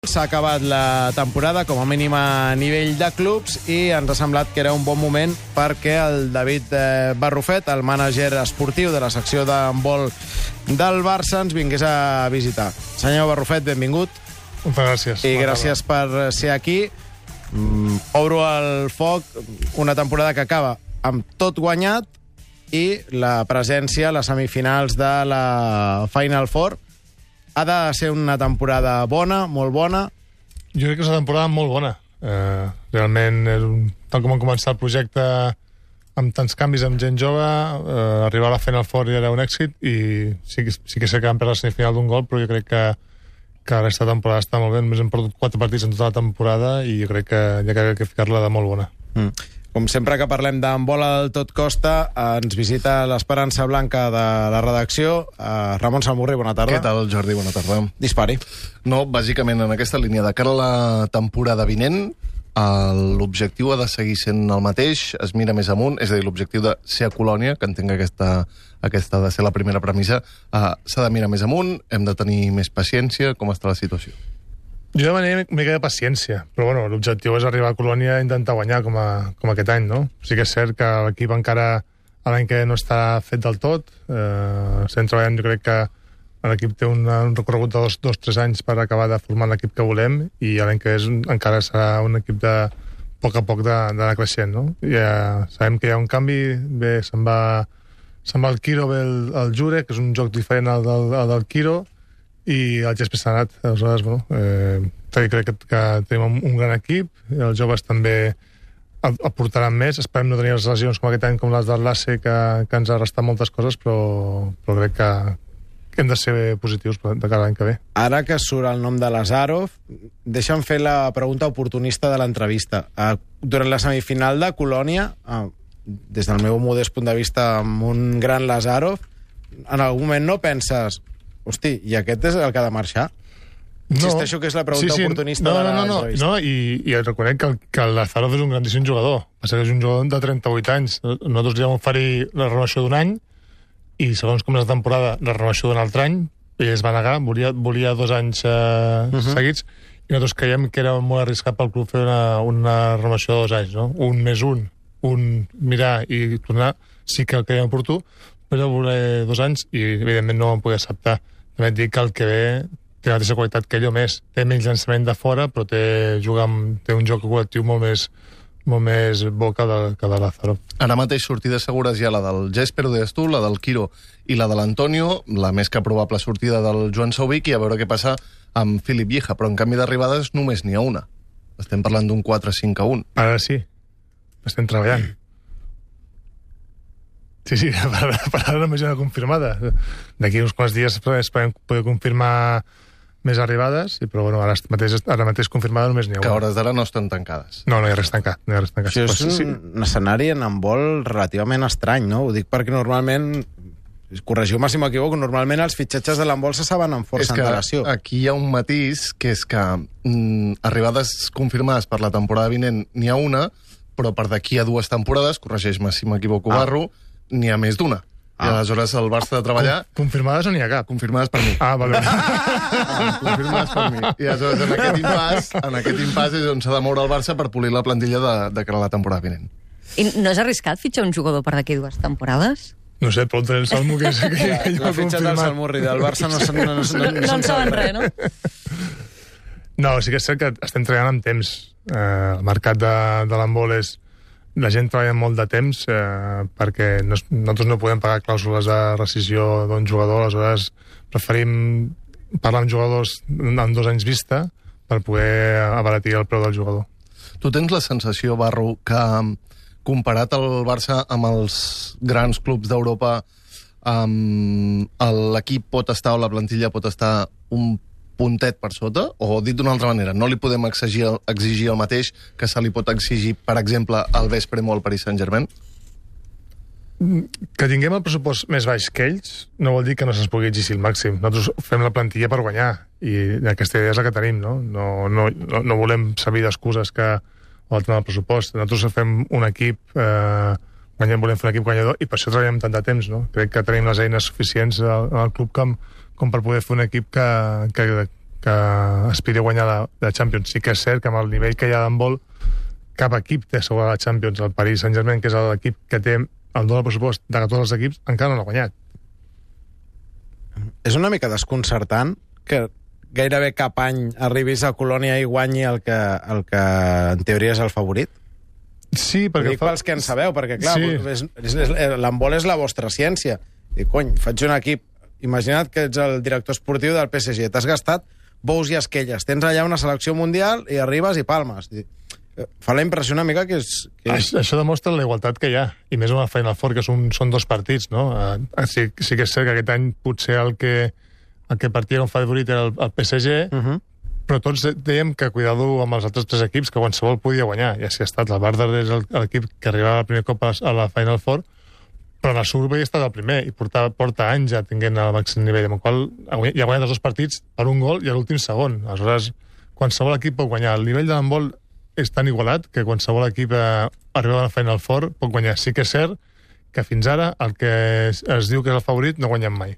S'ha acabat la temporada, com a mínim a nivell de clubs, i ens ha semblat que era un bon moment perquè el David Barrufet, el mànager esportiu de la secció d'handbol del Barça, ens vingués a visitar. Senyor Barrufet, benvingut. Moltes gràcies. I gràcies per ser aquí. Obro el foc, una temporada que acaba amb tot guanyat i la presència a les semifinals de la Final Four. Ha de ser una temporada bona, molt bona? Jo crec que és una temporada molt bona. Realment, tal com va començar el projecte amb tants canvis, amb gent jove, arribar a la Final Four ja era un èxit i sí que sé que vam perdre la semifinal d'un gol, però jo crec que la resta de temporada està molt bé. Només hem perdut 4 partits en tota la temporada i jo crec que ja cal que ficar-la de molt bona. Com sempre que parlem d'handbol al tot costa, ens visita l'Esperança Blanca de la redacció. Ramon Salmurri, bona tarda. Què tal, Jordi? Bona tarda. Dispari. No, bàsicament en aquesta línia, de cara a la temporada vinent, l'objectiu ha de seguir sent el mateix, es mira més amunt, és a dir, l'objectiu de ser a Colònia, que entenc que aquesta ha de ser la primera premissa, s'ha de mirar més amunt, hem de tenir més paciència. Com està la situació? Jo demanaria una mica de paciència, però bueno, l'objectiu és arribar a Colònia i intentar guanyar com aquest any, no? Sí que és cert que l'equip encara l'any que no està fet del tot, estem treballant, jo crec que l'equip té un recorregut de 2-3 anys per acabar de formar l'equip que volem i l'any que és encara serà un equip de poc a poc d'anar creixent, no? Ja sabem que hi ha un canvi, bé, se'n va el Quiro, ve el Jure, que és un joc diferent al del Quiro, i el Jesper s'ha anat. Aleshores, bueno, crec que tenim un gran equip, els joves també aportaran més. Esperem no tenir les lesions com aquest any, com les del Lasse, que ens ha restat moltes coses, però crec que hem de ser positius de cara a l'any que ve. Ara que surt el nom de Lazarov, deixa'm fer la pregunta oportunista de l'entrevista. Durant la semifinal de Colònia, des del meu modest punt de vista, amb un gran Lazarov, en algun moment no penses, hosti, i aquest és el que ha de marxar? Insisteixo que és la pregunta oportunista de l'entrevista. No, i reconec que el Lazarov és un grandíssim jugador. Passa que és un jugador de 38 anys. Nosaltres li vam oferir la renovació d'un any i segons com és la temporada, la renovació d'un altre any, ell es va negar, volia 2 anys seguits, i nosaltres creiem que era molt arriscat pel club fer una renovació de 2 anys, no? Un més un mirar i tornar, sí que el creiem oportú, però voler 2 anys i evidentment no ho vam poder acceptar. També et dic que el que ve té la mateixa qualitat que ell o més. Té menys llançament de fora, però té un joc col·lectiu molt més bo que de Lázaro. Ara mateix sortides segures hi ha la del Jesper, ho deies tu, la del Quiro i la de l'Antonio, la més que probable sortida del Joan Sauvic, i a veure què passa amb Filip Vieja, però en canvi d'arribades només n'hi ha una. Estem parlant d'un 4-5-1. Ara sí, estem treballant. Sí, per ara només hi ha una confirmada. D'aquí uns quants dies esperem poder confirmar més arribades, però bueno, ara mateix confirmada només n'hi ha una. Que a hores d'ara no estan tancades. No hi ha res tancat. Això és un escenari en handbol relativament estrany, no? Ho dic perquè normalment, corregiu-me si m'equivoco, normalment els fitxatges de l'handbol se saben amb força antelació. Aquí hi ha un matís, que és que arribades confirmades per la temporada vinent n'hi ha una, però per d'aquí a 2 temporades, corregeix-me si m'equivoco, Barro, n'hi ha més d'una. I aleshores el Barça de treballar... Confirmades o n'hi ha cap? Confirmades per mi. Vale. Confirmades per mi. I aleshores en aquest impàs és on s'ha de moure el Barça per polir la plantilla de cara a la temporada vinent. I no és arriscat fitxar un jugador per d'aquí 2 temporades? No sé, però el Salmo que és que la fitxa del Salmurri del Barça no en saben res, no? No, sí que és cert que estem treballant amb temps. El mercat de l'handbol és... La gent treballa molt de temps perquè nosaltres no podem pagar clàusules de rescissió d'un jugador, aleshores preferim parlar amb jugadors amb 2 anys vista per poder abaratir el preu del jugador. Tu tens la sensació, Barro, que comparat el Barça amb els grans clubs d'Europa, l'equip pot estar, o la plantilla pot estar un puntet per sota? O dit d'una altra manera, no li podem exigir el mateix que se li pot exigir, per exemple, al Vespre o al Paris Saint-Germain? Que tinguem el pressupost més baix que ells no vol dir que no se'ns pugui exigir el màxim. Nosaltres fem la plantilla per guanyar i aquesta idea és la que tenim, no? No volem servir d'excuses que o el tema del pressupost. Nosaltres fem un equip volem fer un equip guanyador i per això treballem tant de temps, no? Crec que tenim les eines suficients al club com per poder fer un equip que que aspiri a guanyar la Champions. Sí que és cert que amb el nivell que hi ha d'handbol, cap equip té assegurar la Champions. El Paris Saint-Germain, que és l'equip que té el doble pressupost de tots els equips, encara no l'ha guanyat. És una mica desconcertant que gairebé cap any arribis a Colònia i guanyi el que en teoria és el favorit? Sí, perquè... Ho dic pels que en sabeu, perquè clar, Sí. l'handbol és la vostra ciència. I cony, faig un equip... Imagina't que ets el director esportiu del PSG, t'has gastat bous i esquelles, tens allà una selecció mundial i arribes i palmes. Fa la impressió una mica que és... Això demostra la igualtat que hi ha, i més amb la Final Four, que són 2 partits, no? Sí que és cert que aquest any potser el que partia com favorit era el PSG, però tots dèiem que cuidado amb els altres 3 equips, que qualsevol podia guanyar. Ja si ha estat el Vardar és l'equip que arribava el primer cop a la Final Four, però en el Survey ha estat el primer i porta anys ja tinguent el màxim nivell, amb el qual ja ha guanyat els 2 partits per un gol i a l'últim segon. Aleshores, qualsevol equip pot guanyar. El nivell de l'handbol és tan igualat que qualsevol equip arriba a la Final Four pot guanyar. Sí que és cert que fins ara el que es diu que és el favorit no guanyem mai.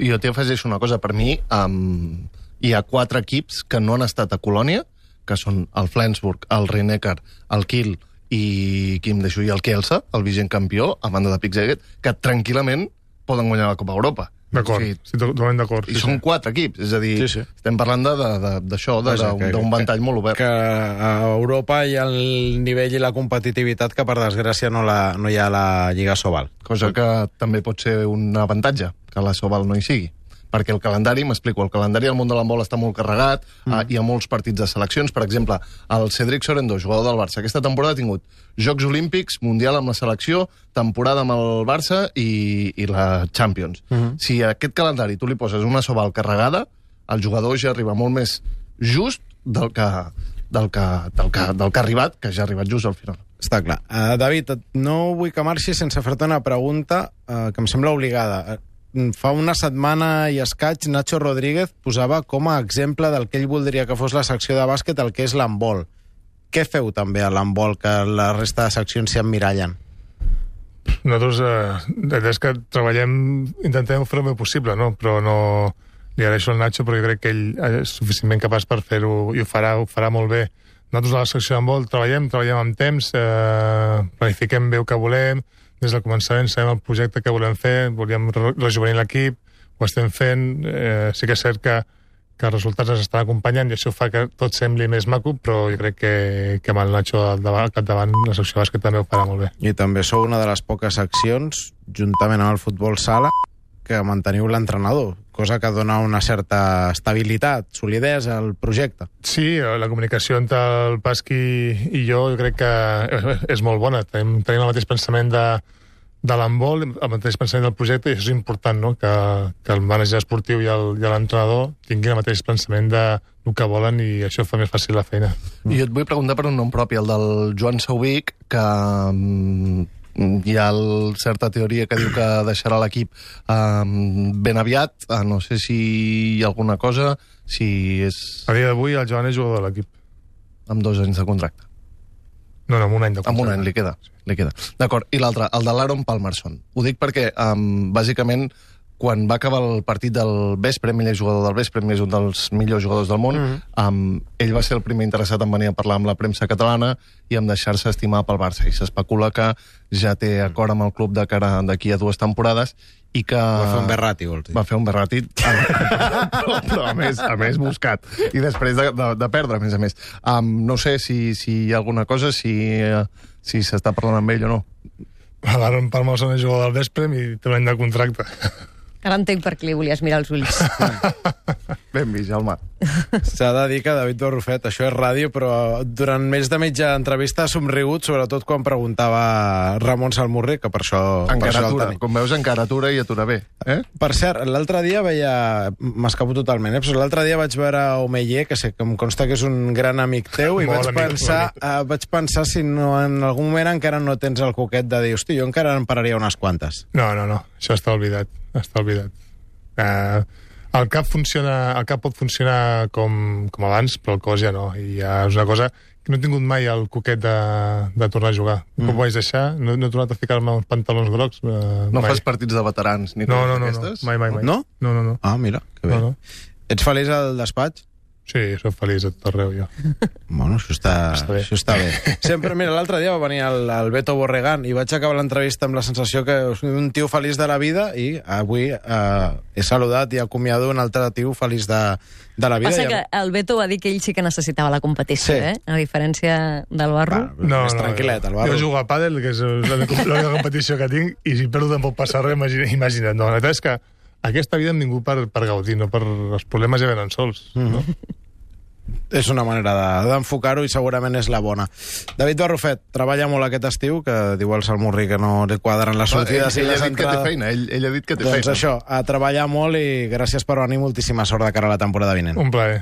I jo t'hi afegeixo una cosa. Per mi, hi ha 4 equips que no han estat a Colònia, que són el Flensburg, el Rhein-Neckar, el Kiel i qui em deixo, i el Kielce, el vigent campió, a banda de Pixeget, que tranquil·lament poden guanyar la Copa Europa. D'acord, sí, totalment d'acord. I són 4 equips, és a dir, estem parlant d'això, d'un ventall molt obert. Que a Europa hi ha el nivell i la competitivitat que, per desgràcia, no hi ha a la Lliga Sobal. Cosa que també pot ser un avantatge, que la Sobal no hi sigui. Perquè el calendari, m'explico, el calendari al món de l'handbol està molt carregat, hi ha molts partits de seleccions. Per exemple, el Cédric Sorendo, jugador del Barça, aquesta temporada ha tingut Jocs Olímpics, Mundial amb la selecció, temporada amb el Barça i la Champions. Si a aquest calendari tu li poses una Sobal carregada, el jugador ja arriba molt més just del que ha arribat, que ja ha arribat just al final. Està clar. David, no vull que marxi sense fer-te una pregunta que em sembla obligada. Fa una setmana i escaig, Nacho Rodríguez posava com a exemple del que ell voldria que fos la secció de bàsquet el que és l'handbol. Què feu també a l'handbol que la resta de seccions s'hi emmirallen? Nosaltres, és que treballem, intentem fer el més possible, no? Però no li agraeixo al Nacho, però jo crec que ell és suficientment capaç per fer-ho i ho farà molt bé. Nosaltres a la secció d'handbol treballem amb temps, planifiquem bé el que volem. Des del començament sabem el projecte que volem fer, volíem rejuvenir l'equip, ho estem fent, sí que és cert que els resultats ens estan acompanyant i això fa que tot sembli més maco, però jo crec que amb el Nacho al capdavant la secció bàsquet també ho farà molt bé. I també sou una de les poques seccions, juntament amb el futbol sala, que manteniu l'entrenador, cosa que dona una certa estabilitat, solidesa al projecte. Sí, la comunicació entre el Pasqui i jo crec que és molt bona. Tenim el mateix pensament de l'handbol, el mateix pensament del projecte, i això és important, no? Que el mànager esportiu i l'entrenador tinguin el mateix pensament del que volen i això fa més fàcil la feina. I jo et vull preguntar per un nom propi, el del Joan Sauvic, que hi ha certa teoria que diu que deixarà l'equip ben aviat. No sé si hi ha alguna cosa, si és... A dia d'avui el Joan és jugador de l'equip. Amb 2 anys de contracte. No, amb un any de contracte. Amb un any li queda. D'acord, i l'altre, el de l'Aaron Palmerson. Ho dic perquè, bàsicament, quan va acabar el partit del Vespre, ell és jugador del Vespre, és un dels millors jugadors del món, ell va ser el primer interessat en venir a parlar amb la premsa catalana i en deixar-se estimar pel Barça. I s'especula que ja té acord amb el club de cara d'aquí a 2 temporades i que... Va fer un berrati, vols dir? Va fer un berrati, però a més buscat. I després de perdre, a més. No sé si hi ha alguna cosa, si s'està parlant amb ell o no. L'Aaron Palmerson és jugador del Vespre i té un any de contracte. Ara entenc per què li volies mirar els ulls. Ben vist, Jaume. S'ha de dir que David Barrufet, això és ràdio, però durant més de mitja entrevista ha somrigut, sobretot quan preguntava Ramon Salmurri, que per això... Encaratura, com veus, encaratura i atura bé. Per cert, l'altre dia m'escapo totalment, però l'altre dia vaig veure Omeyer, que sé que em consta que és un gran amic teu, i vaig pensar si no, en algun moment encara no tens el coquet de dir, hosti, jo encara en pararia unes quantes. No, això està oblidat. El cap pot funcionar com abans, però el cos ja no. I ja és una cosa que no he tingut mai el coquet de tornar a jugar. Com ho vaig deixar? No he tornat a ficar-me uns pantalons grocs. No fas partits de veterans ni coses d'aquestes? Mai. No? No. Ah, mira, que bé. No. Ets feliç al despatx? Sí, soc feliç a tot arreu, jo. Bueno, bé. això està bé. Sempre, mira, l'altre dia va venir el Beto Borregán i vaig acabar l'entrevista amb la sensació que soc un tio feliç de la vida i avui he saludat i acomiado un altre tio feliç de la vida. Passa que el Beto va dir que ell sí que necessitava la competició, Sí. A diferència del Barro. Més tranquil·let, el Barro. Jo jugo a pàdel, que és l'única competició que tinc, i si perdo tampoc passa res, imagina't. No, la veritat és que aquesta vida hem vingut per gaudir, no per els problemes ja venen sols. No? És una manera d'enfocar-ho i segurament és la bona. David Barrufet treballa molt aquest estiu, que diu el Salmurri que no li quadren les sortides i ell les ha dit que té entrades. feina, ell ha dit que té Doncs feina. això, a treballar molt i gràcies per venir, moltíssima sort de cara a la temporada vinent. Un plaer.